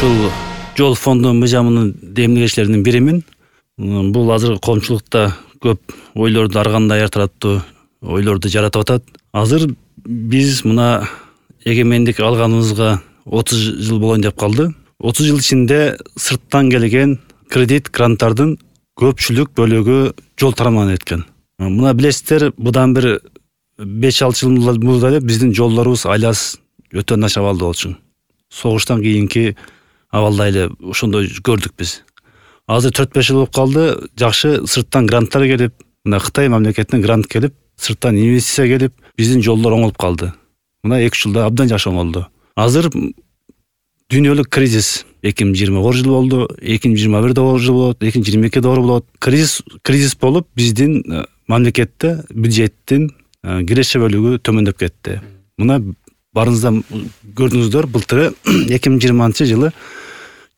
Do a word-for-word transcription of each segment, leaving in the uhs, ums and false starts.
ушул жол фонду мыйзамынын демилгечилеринин биримин. Бул азыр коомчулукта көп ойлорду, ар кандай ар тараптуу ойлорду жаратып атат. Азыр биз мына эгемендик алганыбызга отуз жыл болоюн деп калды. отуз жыл ичинде сырттан келген кредит гранттардын көпчүлүк бөлүгү жол тарамынан эткен. Мына билесиздер, мындан бир беш алты жыл мурда эле биздин жолдорубуз айласы өтө начар абалда болчу. Согуштан кийинки абалда эле ошондой көрдүк биз. Азыр төрт беш жыл болуп калды, жакшы сырттан гранттар келип, мына Кытай мамлекетинен грант келип, сырттан инвестиция келип, биздин жолдор оңолуп калды. Мына эки үч жылда абдан жакшы оңолду. Азыр дүйнөлүк кризис эки миң жыйырма жыл болду, эки миң жыйырма бир жыл болот, эки миң жыйырма эки болот. Кризис кризис болуп биздин мамлекетте бюджеттин киреше бөлүгү төмөндөп кетти. Мына барыңыздан көрдүңүздөр, былтыры эки миң жыйырманчы жылы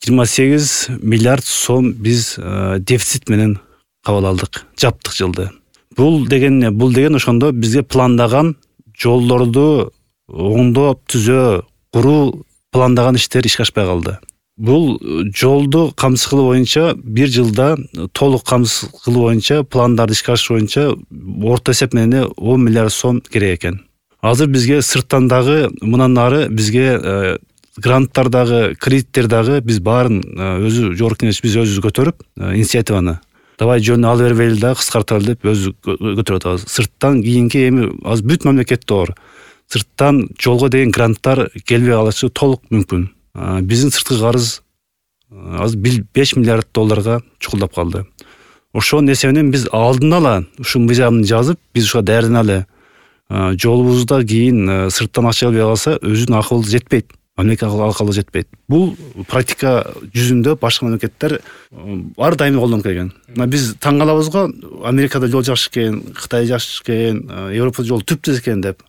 жыйырма сегиз миллиард сом биз дефицит менен кабыл алдык, жаптык жылды. Бул деген эмне? Бул деген ошондо бизге пландаган жолдорду оңдоп, түзөө, куруу пландаган иштер ишке ашпай калды. Бул жолду камсыз кылуу боюнча бир жылда толук камсыз кылуу боюнча, пландарды ишке ашыруу боюнча орто эсеп менен он миллиард сом керек экен. Азыр бизге сырттан дагы мындан ары бизге гранттар дагы, кредиттер дагы биз баарын өзү жогорку кеңеш биз өзүбүз көтөрүп, инициативаны давай жөнүнө алып бербейли дагы кыскарталы деп өзү көтөрүп атабыз. Сырттан кийинки эми азыр бүт мамлекетте оор. Сырттан жолго деген гранттар келбей калышы толук мүмкүн. Биздин сырткы карыз азыр беш миллиард долларга чукулдап калды. Ошонун эсебинен биз алдын ала ушул мыйзамды жазып, биз ушуга даярданалы. Жолубузда кийин сырттан акча келбей калса, өзүнүн акыбы жетпейт. Мамлекет акыбы жетпейт. Бул практика жүзүндө башка мамлекеттер ар дайым колдонуп келген. Биз таң калабыз го, Америкада жол жакшы экен, Кытай жакшы экен, Европада жол түптүз экен деп.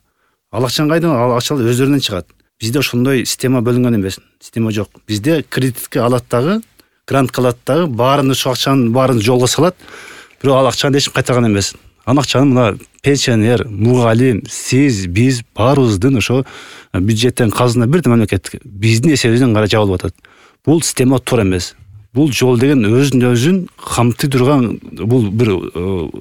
Ал акчаны кайдан? Ал акчалар өздөрүнөн чыгат. Бизде ошондой система бөлүнгөн эмес. Система жок. Бизде кредитке алат дагы, грантка алат дагы, баарын ошо акчанын баарын жолго салат. Бирок ал акчаны эч кайтарган эмес. Ал акчаны мына пенсионер, мугалим, сиз, биз баарыбыздын ошо бюджеттен казына бирден мамлекет биздин эсебибизден гана жабылып атат. Бул система туура эмес. Бул жол деген өзүн өзүн камтый турган бул бир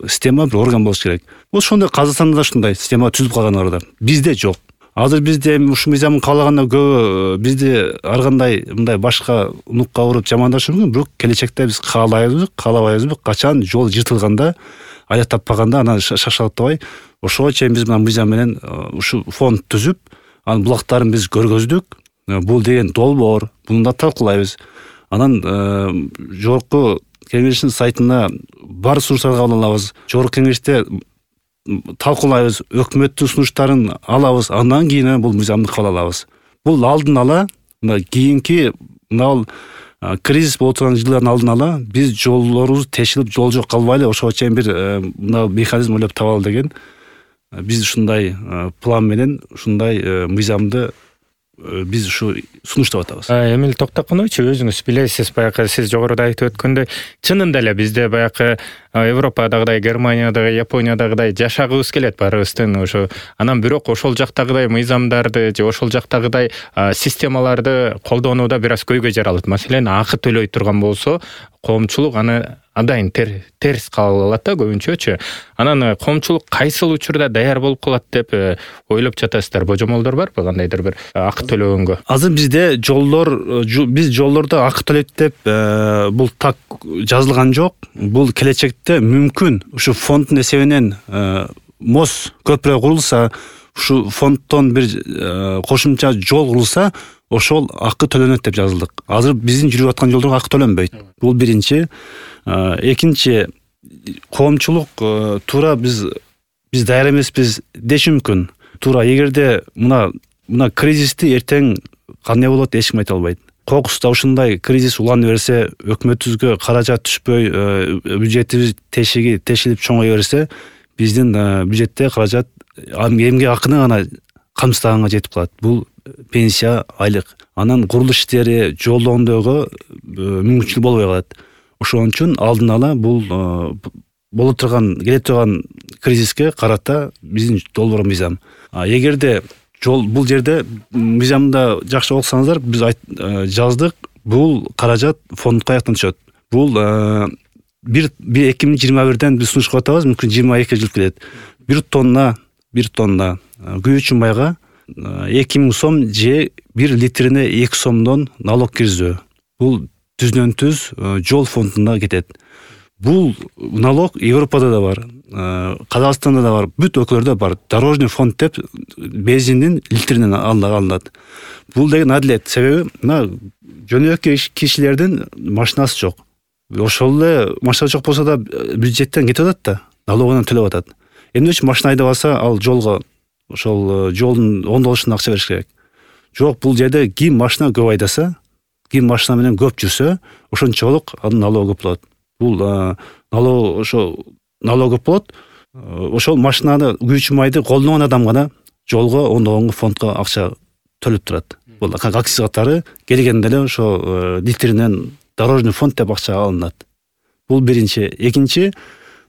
система, бир орган болуш керек. Бул ошондой Казакстанда да ушундай система түзүп калгандар да. Бизде жок. Азыр бизде ушул мыйзамын каалаганда көбү бизди ар кандай мындай башка нукка уруп жамандашы мүмкүн, бирок келечекте биз каалайбызбы, каалабайбызбы, качан жол жыртылганда, аяк таппаганда анан шашалаттабай, ошого чейин биз мына мыйзам менен ушул фонд түзүп, анын булактарын биз көргөздүк. Бул деген долбоор, буну да талкуулайбыз. Анан жогорку кеңештин сайтына бар сунуштарды кабыл алабыз. Жогорку кеңеште талкуулайбыз, өкмөттүн сунуштарын алабыз, андан кийин бул мыйзамды кабыл алабыз. Бул алдын ала, мына кийинки мына кризис болуп турган жылдардын алдын ала биз жолдорубуз тешилип, жол жок калбайлы, ошого чейин бир мына механизм ойлоп табалы деген биз ушундай план менен ушундай мыйзамды биз ушу сунуштап атабыз. Эмил токтоп койчу, өзүңүз билесиз, баягы сиз жогоруда айтып өткөндөй, чынында эле бизде баягы Европадагыдай, Германиядагы, Япониядагыдай жашагыбыз келет баарыбыздын ошо. Анан бирок ошол жактагыдай мыйзамдарды же ошол жактагыдай системаларды колдонууда бир аз көйгөй жаралат. Маселен, акы төлөй турган болсо, коомчулук аны адайын терс кабыл алат да көбүнчөчү. Анан коомчулук кайсыл учурда даяр болуп калат деп ойлоп жатасыздар? Божомолдор барбы кандайдыр бир акы төлөгөнгө? Азыр бизде жолдор, биз жолдордо акы төлөйт деп бул так жазылган жок. Бул келечекте мүмкүн ушу фонддун эсебинен мост көпүрө курулса, ушу фонддон бир кошумча жол курулса, ошол акы төлөнөт деп жазылдык. Азыр биздин жүрүп аткан жолдорго акы төлөнбөйт. Бул биринчи. Экинчи, коомчулук туура биз биз даяр эмеспиз деш мүмкүн. Туура эгерде мына мына кризисти эртең кандай болот эч ким айта албайт. Кокуста ушундай кризис улана берсе, өкмөтүбүзгө каражат түшпөй, бюджетибиз тешиги тешилип чоңое берсе, биздин бюджетте каражат эмгек акыны гана камсыздаганга жетип калат. Бул пенсия, айлык. Анан курулуш иштери, жол оңдоого мүмкүнчүлүк болбой калат. Ошон үчүн алдын ала бул болуп турган, келе турган кризиске карата биздин долбоор мыйзам. Эгерде жол бул жерде мыйзамда жакшы окусаңыздар, биз жаздык, бул каражат фондко каяктан түшөт? Бул бир эки миң жыйырма бирден биз сунуш кылып атабыз, мүмкүн жыйырма экиге жылып келет. Бир тонна бир тонна күйүүчү майга эки миң сом же бир литрине эки сомдон налог киргизүү. Бул түздөн түз жол фондуна кетет. Бул налог Европада да бар, Казакстанда да бар, бүт өлкөлөрдө бар. Дорожный фонд деп бензиндин литринен алынат. Бул деген адилет, себеби мына жөнөкөй кишилердин машинасы жок. Ошол эле машина жок болсо да бюджеттен кетип атат да, налогунан төлөп атат. Эмне үчүн машина айдабаса, ал жолго ошол жолдун оңдолушуна акча бериш керек. Жок, бул жерде ким машина көп айдаса, ким машина менен көп жүрсө, ошончолук анын налогу көп болот. Бул налог ошо налог көп болот. Ошол машинаны күйүүчү майды колдонгон адам гана жолго оңдогонго фондко акча төлөп турат. Бул акциз катары келгенде эле ошо литринен дорожный фонд деп акча алынат. Бул биринчи. Экинчи,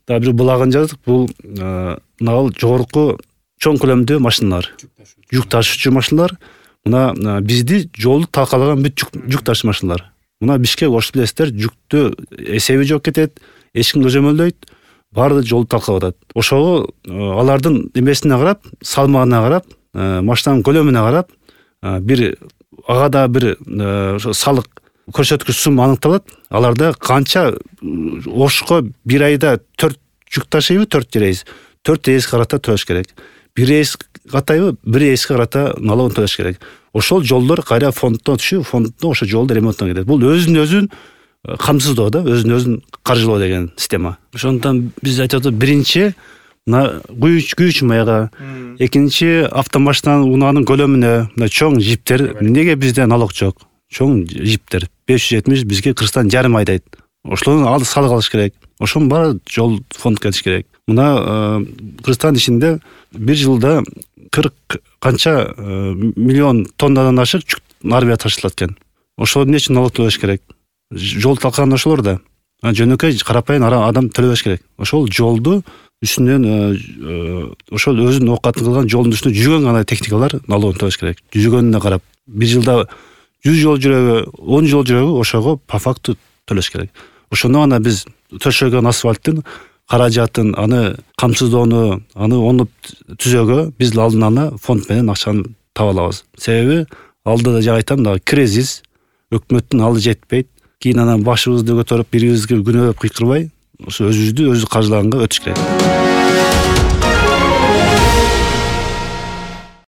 да бир булагын жаздык. Бул мына жогорку чоң көлөмдүү машиналар, жүк ташуучу машиналар. Мына бизди жолду талкалаган бүт жүк ташуучу машиналар. Мына Бишкек ош билесиздер, жүктү эсеби жок кетет, эч ким көзөмөлдөйт, баары жолду талкалап атат. Ошого алардын эмесине карап, салмагына карап, машинанын көлөмүнө карап, бир ага да бир ошо салык көрсөткүч сумма аныкталат. Аларда канча Ошко бир айда төрт жүк ташыйбы, төрт рейс, төрт рейс карата төлөш керек. Бир рейс катайбы, бир рейске карата налогун төлөш керек. Ошол жолдор кайра фонддон түшүп, фонддон ошо жолду ремонттон кетет. Бул өзүн өзүн камсыздоо да, өзүн өзүн каржылоо деген система. Ошондон биз айтып атабыз, биринчи мына күйүүчү майга, экинчи автомашинанын унаанын көлөмүнө, мына чоң жиптер, неге бизде налог жок? Чоң жиптер беш жүз жетимиш, бизге Кыргызстан жарым айдайт. Ошолордун алды салык алыш керек. Ошонун баары жол фондко кетиш керек. Мына Кыргызстан ичинде бир жылда кырк канча миллион тоннадан ашык жүк Нарвияга ташылат экен. Ошол эмне үчүн налог төлөш керек? Жол талкаган ошолор да. Жөнөкөй карапайым адам төлөбөш керек. Ошол жолду үстүнөн ошол өзүнүн оокатын кылган жолдун үстүнө жүзгөн гана техникалар налогун төлөш керек. Жүзгөнүнө карап, бир жылда жүз жол жүрөгү, он жол жүрөгү ошого по факту төлөш керек. Ошондо гана биз төшөгөн асфальттын каражатын, аны камсыздоону, аны оңдоп түзөөгө биз алдын ала фонд менен акчаны таба алабыз. Себеби алдыда жак айтам да, кризис, өкмөттүн алы жетпейт. Кийин анан башыбызды көтөрүп, бирибизге күнөөлөп кыйкырбай, ошо өзүбүздү өзү каржылаганга өтүш керек.